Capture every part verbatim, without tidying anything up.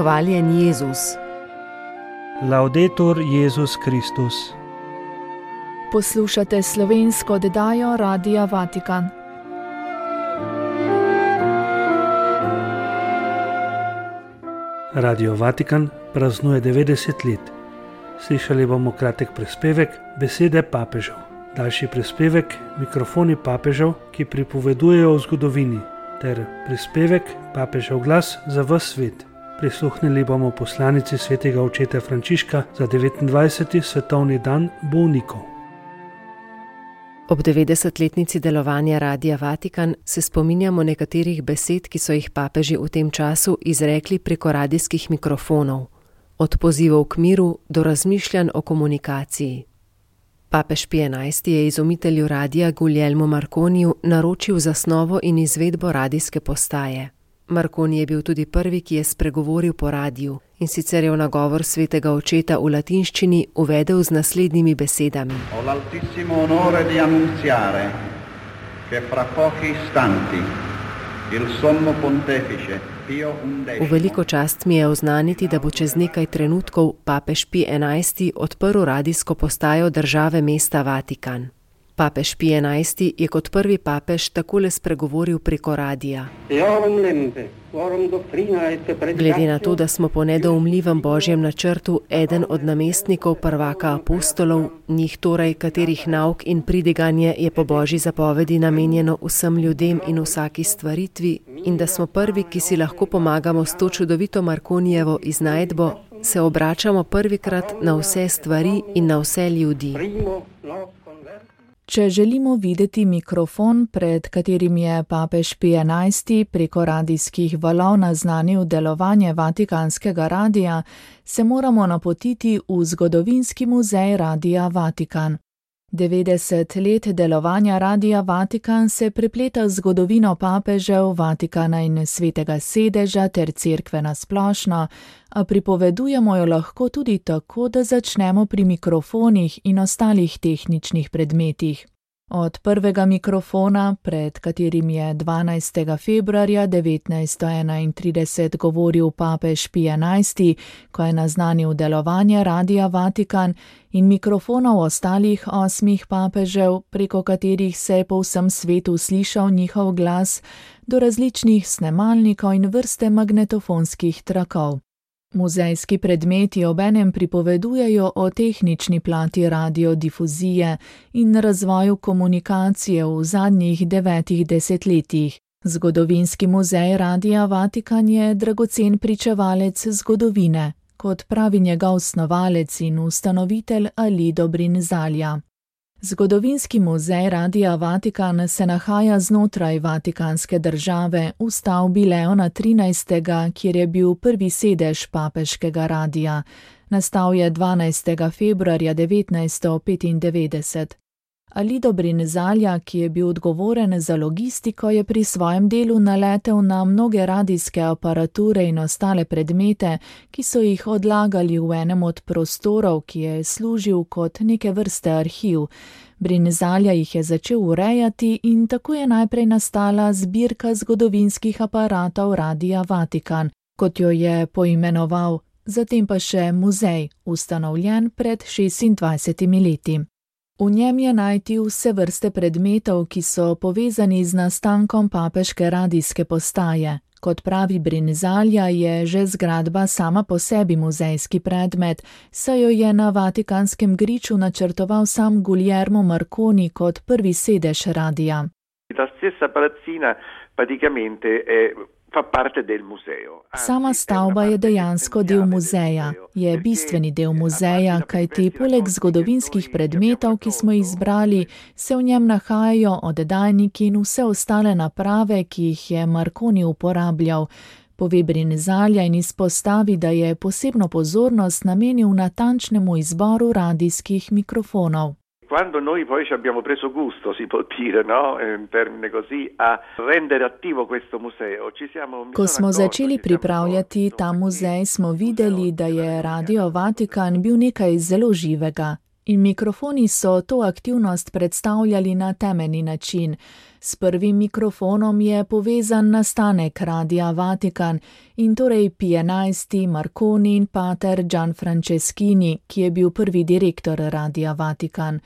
hvaljen Jezus. Laudetur Jezus Kristus. Poslušate slovensko oddajo Radia Vatikan. Radio Vatikan praznuje devetdeset let. Slišali bomo kratek prispevek Besede papežev. Daljši prispevek Mikrofoni papežev, ki pripovedujejo o zgodovini, ter prispevek Papežev glas za ves svet. Prisluhnili bomo poslanici svetega očeta Frančiška za devetindvajseti svetovni dan bolnikov. Ob devetdesetletnici delovanja Radia Vatikan se spominjamo nekaterih besed, ki so jih papeži v tem času izrekli preko radijskih mikrofonov. Od pozivov k miru do razmišljanj o komunikaciji. Papež Pij enajsti je izumitelju radija Guglielmu Marconiju naročil zasnovo in izvedbo radijske postaje. Marconi je bil tudi prvi, ki je spregovoril po radiju, in sicer je v nagovor svetega očeta v latinščini uvedel z naslednjimi besedami. Ho l'altissimo onore di annunziare che fra pochi istanti il sommo pontefice Pio undecimo. V veliko čast mi je oznaniti, da bo čez nekaj trenutkov papež Pij enajsti odprl radijsko postajo države mesta Vatikan. Papež Pij enajsti je kot prvi papež takole spregovoril preko radija. Glede na to, da smo po nedoumljivem božjem načrtu eden od namestnikov prvaka apostolov, njih torej, katerih nauk in pridiganje je po božji zapovedi namenjeno vsem ljudem in vsaki stvaritvi, in da smo prvi, ki si lahko pomagamo s to čudovito Marconijevo iznajdbo, se obračamo prvikrat na vse stvari in na vse ljudi. Če želimo videti mikrofon, pred katerim je papež Pij enajsti preko radijskih valov naznanil delovanje Vatikanskega radija, se moramo napotiti v zgodovinski muzej Radia Vatikan. devetdeset let delovanja Radia Vatikan se prepleta z zgodovino papežev, Vatikana in svetega sedeža ter cerkve na splošno, a pripovedujemo jo lahko tudi tako, da začnemo pri mikrofonih in ostalih tehničnih predmetih. Od prvega mikrofona, pred katerim je dvanajstega februarja devetnajststo enaintrideset govoril papež Pij enajsti, ko je naznanil delovanje Radia Vatikan, in mikrofonov ostalih osmih papežev, preko katerih se je po vsem svetu slišal njihov glas, do različnih snemalnikov in vrste magnetofonskih trakov. Muzejski predmeti obenem pripovedujejo o tehnični plati radiodifuzije in razvoju komunikacije v zadnjih devetih desetletjih. Zgodovinski muzej Radia Vatikan je dragocen pričevalec zgodovine, kot pravi njegov snovalec in ustanovitelj Alido Brinzalja. Zgodovinski muzej Radia Vatikan se nahaja znotraj Vatikanske države v stavbi Leona trinajstega, kjer je bil prvi sedež papeškega radija. Nastal je dvanajstega februarja devetnajststo petindevetdeset. Alido Brinzalja, ki je bil odgovoren za logistiko, je pri svojem delu naletel na mnoge radijske aparature in ostale predmete, ki so jih odlagali v enem od prostorov, ki je služil kot neke vrste arhiv. Brinzalja jih je začel urejati in tako je najprej nastala zbirka zgodovinskih aparatov Radia Vatikan, kot jo je poimenoval, zatem pa še muzej, ustanovljen pred šestindvajsetimi leti. V njem je najti vse vrste predmetov, ki so povezani z nastankom papeške radijske postaje. Kot pravi Brinzalja, je že zgradba sama po sebi muzejski predmet, saj jo je na Vatikanskem griču načrtoval sam Guglielmo Marconi kot prvi sedež radija. La stessa palazzina praticamente è fa parte del museo. Sama stavba je dejansko del muzeja. Je bistveni del muzeja, kajti poleg zgodovinskih predmetov, ki smo jih izbrali, se v njem nahajajo oddajniki in vse ostale naprave, ki jih je Marconi uporabljal. Pove Brinzalja in izpostavi, da je posebno pozornost namenil natančnemu izboru radijskih mikrofonov. Quando noi poi ci abbiamo preso gusto, si può dire, no, in termine così, a rendere attivo questo museo, ci siamo... Ko smo začeli pripravljati ta muzej, smo videli, da je Radio Vatikan bil nekaj zelo živega. In mikrofoni so to aktivnost predstavljali na temeljni način. S prvim mikrofonom je povezan nastanek Radia Vatikan in torej Pij enajsti, Marconi in pater Gianfranceschini, ki je bil prvi direktor Radia Vatikan.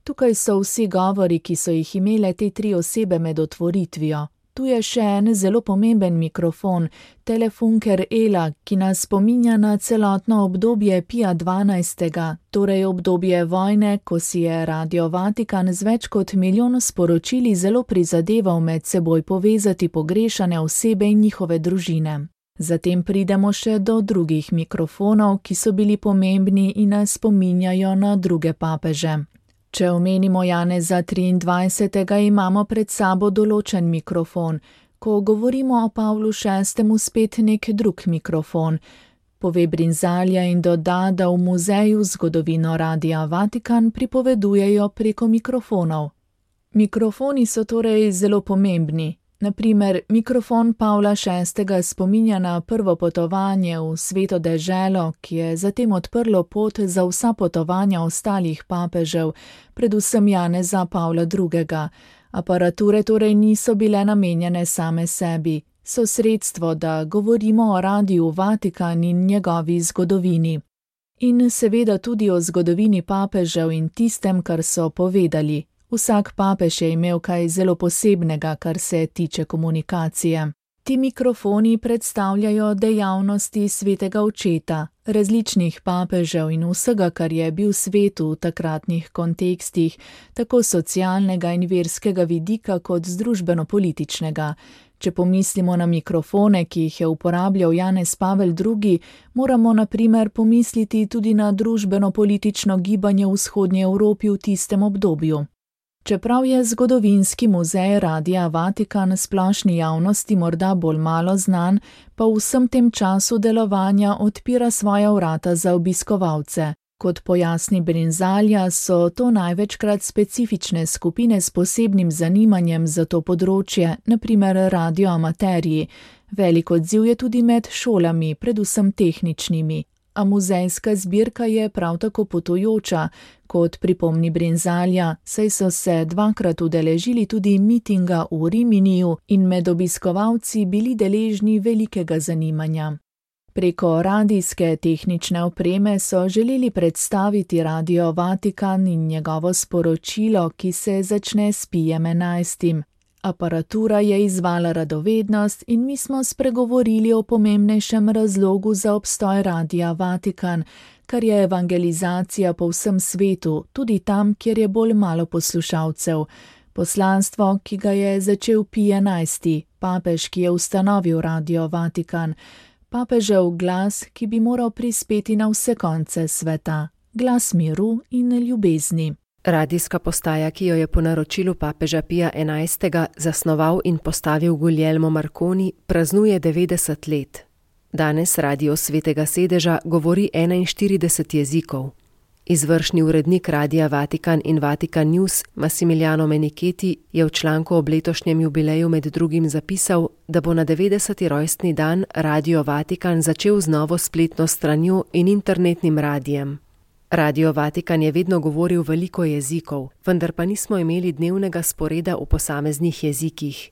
Tukaj so vsi govori, ki so jih imele te tri osebe med otvoritvijo. Tu je še en zelo pomemben mikrofon, Telefunker Ela, ki nas spominja na celotno obdobje Pija dvanajstega, torej obdobje vojne, ko si je Radio Vatikan z več kot milijon sporočili zelo prizadeval med seboj povezati pogrešane osebe in njihove družine. Zatem pridemo še do drugih mikrofonov, ki so bili pomembni in nas spominjajo na druge papeže. Če omenimo Janeza triindvajsetega, imamo pred sabo določen mikrofon, ko govorimo o Pavlu šestemu spet nek drug mikrofon. Pove Brinzalja in doda, da v muzeju zgodovino Radia Vatikan pripovedujejo preko mikrofonov. Mikrofoni so torej zelo pomembni. Naprimer, mikrofon Pavla šestega spominja na prvo potovanje v Sveto deželo, ki je zatem odprlo pot za vsa potovanja ostalih papežev, predvsem Janeza Pavla drugega. Aparature torej niso bile namenjene same sebi, so sredstvo, da govorimo o Radiu Vatikan in njegovi zgodovini. In seveda tudi o zgodovini papežev in tistem, kar so povedali. Vsak papež je imel kaj zelo posebnega, kar se tiče komunikacije. Ti mikrofoni predstavljajo dejavnosti svetega očeta, različnih papežev in vsega, kar je bil svet v takratnih kontekstih, tako socialnega in verskega vidika kot družbeno-političnega. Če pomislimo na mikrofone, ki jih je uporabljal Janez Pavel drugi, moramo na primer pomisliti tudi na družbeno-politično gibanje v vzhodnji Evropi v tistem obdobju. Čeprav je zgodovinski muzej Radia Vatikan splošni javnosti morda bolj malo znan, pa v vsem tem času delovanja odpira svoja vrata za obiskovalce. Kot pojasni Brinzalja, so to največkrat specifične skupine s posebnim zanimanjem za to področje, na primer radioamaterji. Velik odziv je tudi med šolami, predvsem tehničnimi. A muzejska zbirka je prav tako potujoča, kot pripomni Brinzalja, saj so se dvakrat udeležili tudi mitinga v Riminiju in med obiskovalci bili deležni velikega zanimanja. Preko radijske tehnične opreme so želeli predstaviti Radio Vatikan in njegovo sporočilo, ki se začne s Pijem enajstim. Aparatura je izvala radovednost in mi smo spregovorili o pomembnejšem razlogu za obstoj Radia Vatikan, kar je evangelizacija po vsem svetu, tudi tam, kjer je bolj malo poslušalcev. Poslanstvo, ki ga je začel Pij enajsti, papež, ki je ustanovil Radio Vatikan. Papežev glas, ki bi moral prispeti na vse konce sveta. Glas miru in ljubezni. Radijska postaja, ki jo je po naročilu papeža Pija enajstega zasnoval in postavil Guglielmo Marconi, praznuje devetdeset let. Danes Radio Svetega sedeža govori enainštirideset jezikov. Izvršni urednik Radia Vatikan in Vatikan News Massimiliano Menichetti je v članku ob letošnjem jubileju med drugim zapisal, da bo na devetdeseti rojstni dan Radio Vatikan začel z novo spletno stranjo in internetnim radijem. Radio Vatikan je vedno govoril veliko jezikov, vendar pa nismo imeli dnevnega sporeda v posameznih jezikih.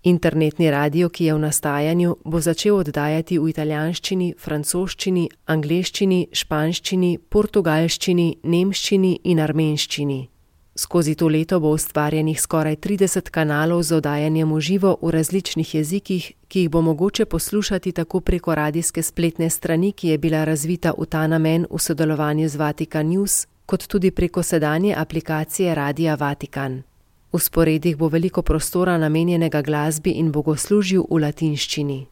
Internetni radio, ki je v nastajanju, bo začel oddajati v italijanščini, francoščini, angleščini, španščini, portugalščini, nemščini in armenščini. Skozi to leto bo ustvarjenih skoraj trideset kanalov z oddajanjem v živo v različnih jezikih, ki jih bo mogoče poslušati tako preko radijske spletne strani, ki je bila razvita v ta namen v sodelovanju z Vatikan News, kot tudi preko sedanje aplikacije Radia Vatikan. V sporedih bo veliko prostora namenjenega glasbi in bogoslužju v latinščini.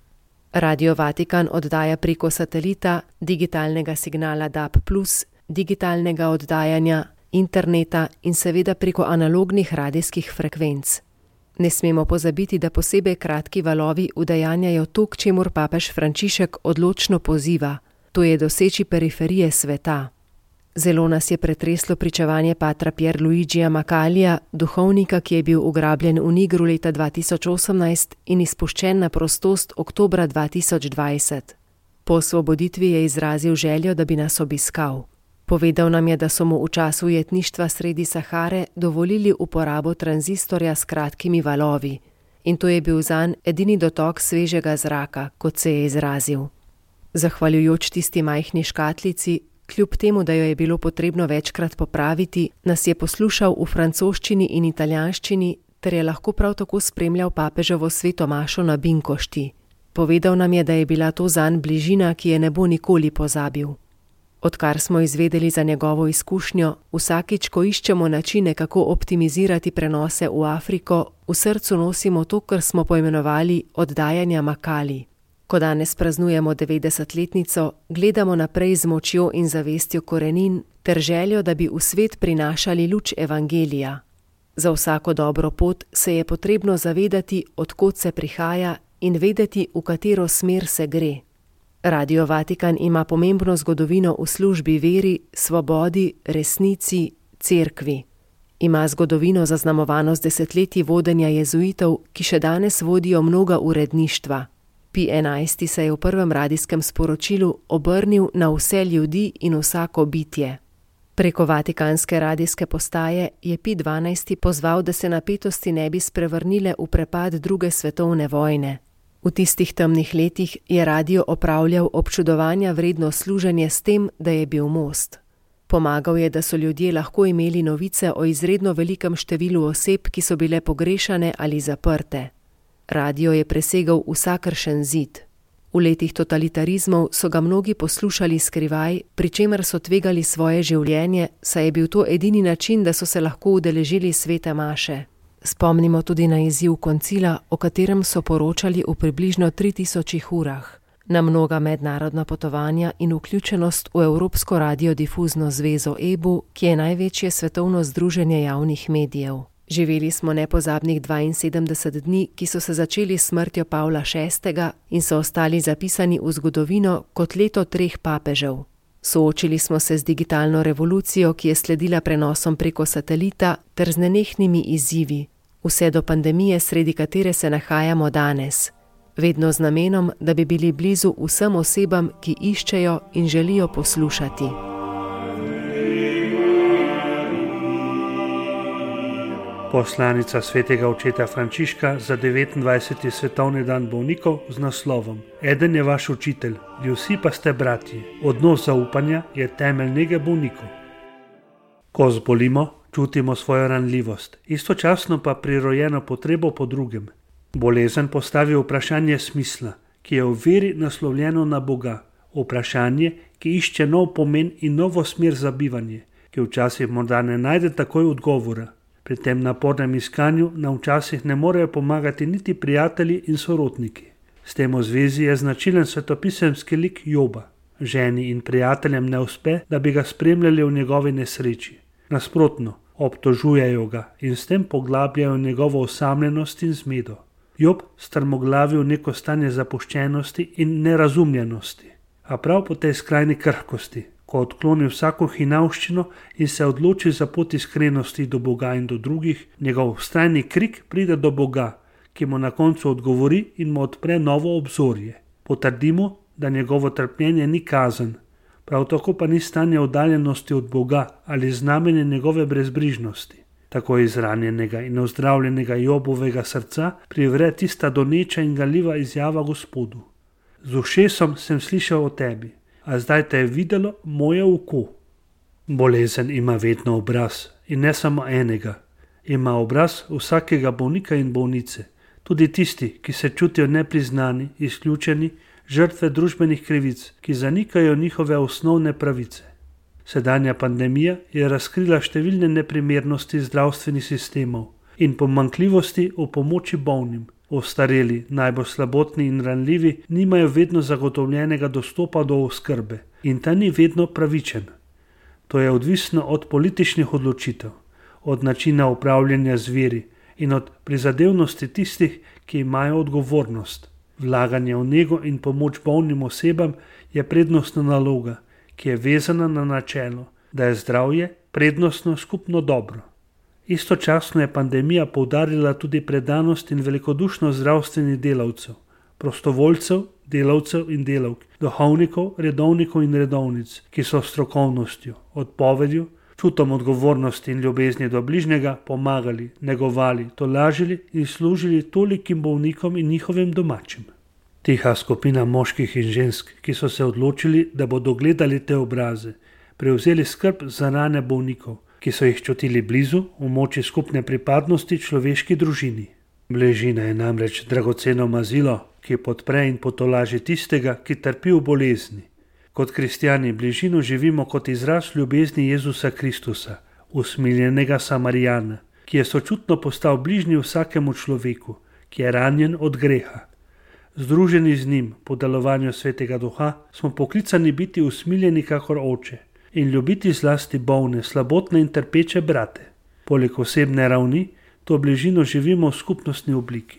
Radio Vatikan oddaja preko satelita, digitalnega signala D A B plus, digitalnega oddajanja, interneta in seveda preko analognih radijskih frekvenc. Ne smemo pozabiti, da posebej kratki valovi udejanjajo to, k čemur papež Frančišek odločno poziva, to je doseči periferije sveta. Zelo nas je pretreslo pričevanje patra Pierluigija Macalija, duhovnika, ki je bil ugrabljen v Nigru leta dva tisoč osemnajst in izpuščen na prostost oktobra dva tisoč dvajset. Po osvoboditvi je izrazil željo, da bi nas obiskal. Povedal nam je, da so mu v času ujetništva sredi Sahare dovolili uporabo tranzistorja s kratkimi valovi in to je bil zanj edini dotok svežega zraka, kot se je izrazil. Zahvaljujoč tisti majhni škatlici, kljub temu, da jo je bilo potrebno večkrat popraviti, nas je poslušal v francoščini in italijanščini ter je lahko prav tako spremljal papeževo sveto mašo na Binkošti. Povedal nam je, da je bila to zanj bližina, ki je ne bo nikoli pozabil. Odkar smo izvedeli za njegovo izkušnjo, vsakič, ko iščemo načine, kako optimizirati prenose v Afriko, v srcu nosimo to, kar smo poimenovali oddajanja Makali. Ko danes praznujemo devetdesetletnico, gledamo naprej z močjo in zavestjo korenin ter željo, da bi v svet prinašali luč evangelija. Za vsako dobro pot se je potrebno zavedati, od kod se prihaja in vedeti, v katero smer se gre. Radio Vatikan ima pomembno zgodovino v službi veri, svobodi, resnici, cerkvi. Ima zgodovino zaznamovano z desetletji vodenja jezuitov, ki še danes vodijo mnoga uredništva. Pij enajsti se je v prvem radijskem sporočilu obrnil na vse ljudi in vsako bitje. Preko vatikanske radijske postaje je Pij dvanajsti pozval, da se napetosti ne bi sprevrnile v prepad druge svetovne vojne. V tistih temnih letih je radio opravljal občudovanja vredno služenje s tem, da je bil most. Pomagal je, da so ljudje lahko imeli novice o izredno velikem številu oseb, ki so bile pogrešane ali zaprte. Radio je presegal vsakršen zid. V letih totalitarizmov so ga mnogi poslušali skrivaj, pri čemer so tvegali svoje življenje, saj je bil to edini način, da so se lahko udeležili svete maše. Spomnimo tudi na izziv koncila, o katerem so poročali v približno tri tisočih urah, na mnoga mednarodna potovanja in vključenost v Evropsko radiodifuzno zvezo E B U, ki je največje svetovno združenje javnih medijev. Živeli smo nepozabnih dvainsedemdeset dni, ki so se začeli s smrtjo Pavla šestega in so ostali zapisani v zgodovino kot leto treh papežev. Soočili smo se z digitalno revolucijo, ki je sledila prenosom preko satelita ter z nenehnimi izzivi, vse do pandemije, sredi katere se nahajamo danes, vedno z namenom, da bi bili blizu vsem osebam, ki iščejo in želijo poslušati. Poslanica svetega očeta Frančiška za devetindvajseti svetovni dan bolnikov z naslovom Eden je vaš učitelj, vsi pa ste bratji. Odnos zaupanja je temelj nege bolnikov. Ko zbolimo, čutimo svojo ranljivost, istočasno pa prirojeno potrebo po drugem. Bolezen postavi vprašanje smisla, ki je v veri naslovljeno na Boga. Vprašanje, ki išče nov pomen in novo smer za bivanje, ki včasih morda ne najde takoj odgovora. Pri tem napornem iskanju nam včasih ne morejo pomagati niti prijatelji in sorodniki. S tem v zvezi je značilen svetopisemski lik Joba. Ženi in prijateljem ne uspe, da bi ga spremljali v njegovi nesreči. Nasprotno, obtožujejo ga in s tem poglabljajo njegovo osamljenost in zmedo. Job strmoglavi v neko stanje zapuščenosti in nerazumljenosti. A prav po tej skrajni krhkosti, ko odkloni vsako hinavščino in se odloči za pot iskrenosti do Boga in do drugih, njegov vztrajni krik pride do Boga, ki mu na koncu odgovori in mu odpre novo obzorje. Potrdimo, da njegovo trpljenje ni kazen, prav tako pa ni stanje oddaljenosti od Boga ali znamenje njegove brezbrižnosti. Tako izranjenega in ozdravljenega Jobovega srca privre tista doneča in galjiva izjava Gospodu. Z ušesom sem slišal o tebi, a zdaj te je videlo moje oko. Bolezen ima vedno obraz in ne samo enega. Ima obraz vsakega bolnika in bolnice, tudi tisti, ki se čutijo nepriznani, izključeni, žrtve družbenih krivic, ki zanikajo njihove osnovne pravice. Sedanja pandemija je razkrila številne neprimernosti zdravstvenih sistemov in pomanjkljivosti v pomoči bolnim. Ostareli, najbolj slabotni in ranljivi nimajo vedno zagotovljenega dostopa do oskrbe in ta ni vedno pravičen. To je odvisno od političnih odločitev, od načina upravljanja z viri in od prizadevnosti tistih, ki imajo odgovornost. Vlaganje v nego in pomoč bolnim osebam je prednostna naloga, ki je vezana na načelo, da je zdravje prednostno skupno dobro. Istočasno je pandemija poudarila tudi predanost in velikodušnost zdravstvenih delavcev, prostovoljcev, delavcev in delavk, duhovnikov, redovnikov in redovnic, ki so strokovnostjo, odpovedjo, čutom odgovornosti in ljubezni do bližnjega pomagali, negovali, tolažili in služili tolikim bolnikom in njihovim domačim. Tiha skupina moških in žensk, ki so se odločili, da bodo gledali te obraze, prevzeli skrb za rane bolnikov, ki so jih čutili blizu v moči skupne pripadnosti človeški družini. Bližina je namreč dragoceno mazilo, ki podpre in potolaži tistega, ki trpi v bolezni. Kot kristjani bližino živimo kot izraz ljubezni Jezusa Kristusa, usmiljenega Samarijana, ki je sočutno postal bližnji vsakemu človeku, ki je ranjen od greha. Združeni z njim po delovanju Svetega Duha smo poklicani biti usmiljeni kakor oče in ljubiti zlasti bolne, slabotne in trpeče brate. Poleg osebne ravni to bližino živimo v skupnostni obliki.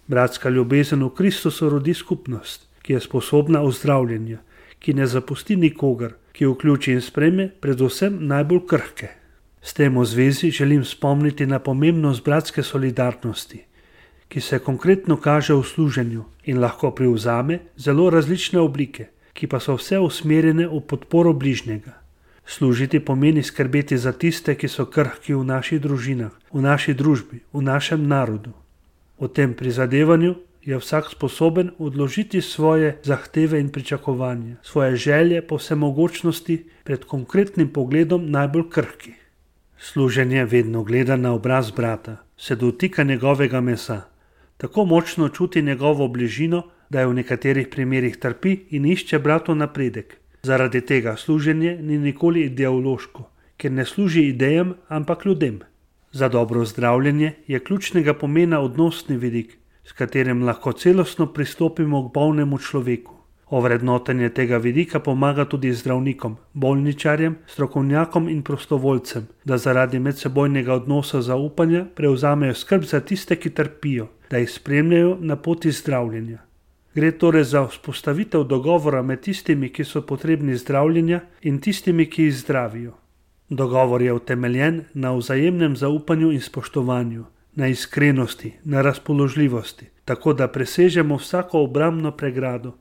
Bratska ljubezen v Kristusu rodi skupnost, ki je sposobna ozdravljenja, ki ne zapusti nikogar, ki vključi in sprejme predvsem najbolj krhke. S tem v zvezi želim spomniti na pomembnost bratske solidarnosti, ki se konkretno kaže v služenju in lahko privzame zelo različne oblike, ki pa so vse usmerjene v podporo bližnjega. Služiti pomeni skrbeti za tiste, ki so krhki v naših družinah, v naši družbi, v našem narodu. V tem prizadevanju je vsak sposoben odložiti svoje zahteve in pričakovanja, svoje želje po vsemogočnosti pred konkretnim pogledom najbolj krhki. Služenje vedno gleda na obraz brata, se dotika njegovega mesa, tako močno čuti njegovo bližino, da je v nekaterih primerih trpi in išče bratov napredek. Zaradi tega služenje ni nikoli ideološko, ker ne služi idejam, ampak ljudem. Za dobro zdravljenje je ključnega pomena odnosni vidik, s katerim lahko celostno pristopimo k bolnemu človeku. Ovrednotenje tega vidika pomaga tudi zdravnikom, bolničarjem, strokovnjakom in prostovoljcem, da zaradi medsebojnega odnosa zaupanja prevzamejo skrb za tiste, ki trpijo, da jih spremljajo na poti zdravljenja. Gre torej za vzpostavitev dogovora med tistimi, ki so potrebni zdravljenja, in tistimi, ki jih zdravijo. Dogovor je utemeljen na vzajemnem zaupanju in spoštovanju, na iskrenosti, na razpoložljivosti, tako da presežemo vsako obrambno pregrado,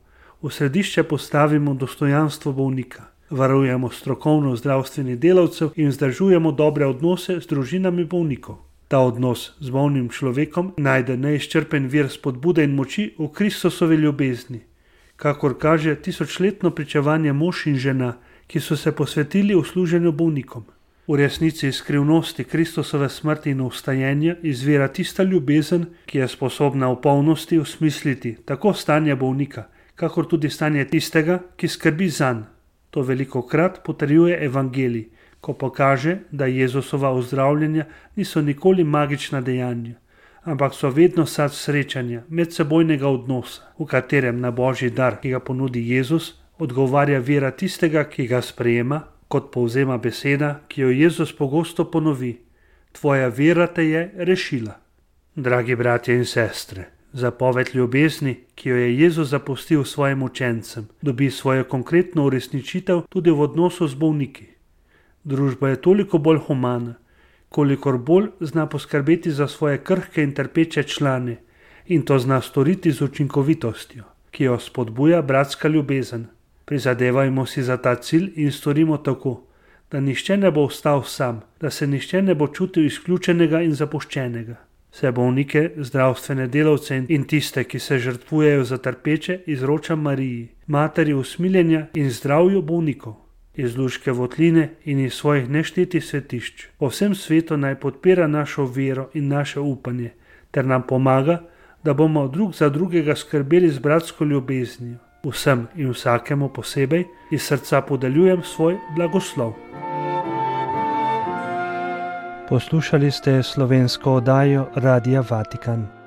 v središče postavimo dostojanstvo bolnika, varujemo strokovno zdravstvenih delavcev in vzdržujemo dobre odnose z družinami bolnikov. Ta odnos z bolnim človekom najde neizčrpen vir spodbude in moči v Kristusovi ljubezni, kakor kaže tisočletno pričevanje mož in žena, ki so se posvetili v služenju bolnikom. V resnici iz skrivnosti Kristusove smrti in vstajenja izvira tista ljubezen, ki je sposobna v polnosti osmisliti tako stanje bolnika, kakor tudi stanje tistega, ki skrbi zanj. To velikokrat potrjuje evangelij, ko pokaže, da Jezusova ozdravljenja niso nikoli magična dejanja, ampak so vedno sad srečanja, medsebojnega odnosa, v katerem na božji dar, ki ga ponudi Jezus, odgovarja vera tistega, ki ga sprejema, kot povzema beseda, ki jo Jezus pogosto ponovi: Tvoja vera te je rešila. Dragi bratje in sestre, zapoved ljubezni, ki jo je Jezus zapustil svojim učencem, dobi svojo konkretno uresničitev tudi v odnosu z bolniki. Družba je toliko bolj humana, kolikor bolj zna poskrbeti za svoje krhke in trpeče člane, in to zna storiti z učinkovitostjo, ki jo spodbuja bratska ljubezen. Prizadevajmo si za ta cilj in storimo tako, da nihče ne bo ostal sam, da se nihče ne bo čutil izključenega in zapuščenega. Vse bolnike, zdravstvene delavce in tiste, ki se žrtvujejo za trpeče, izročam Mariji, materi usmiljenja in zdravju bolnikov. Iz luške votline in iz svojih neštetih svetišč po vsem svetu naj podpira našo vero in naše upanje, ter nam pomaga, da bomo drug za drugega skrbeli z bratsko ljubeznijo. Vsem in vsakemu posebej iz srca podeljujem svoj blagoslov. Poslušali ste slovensko oddajo Radia Vatikan.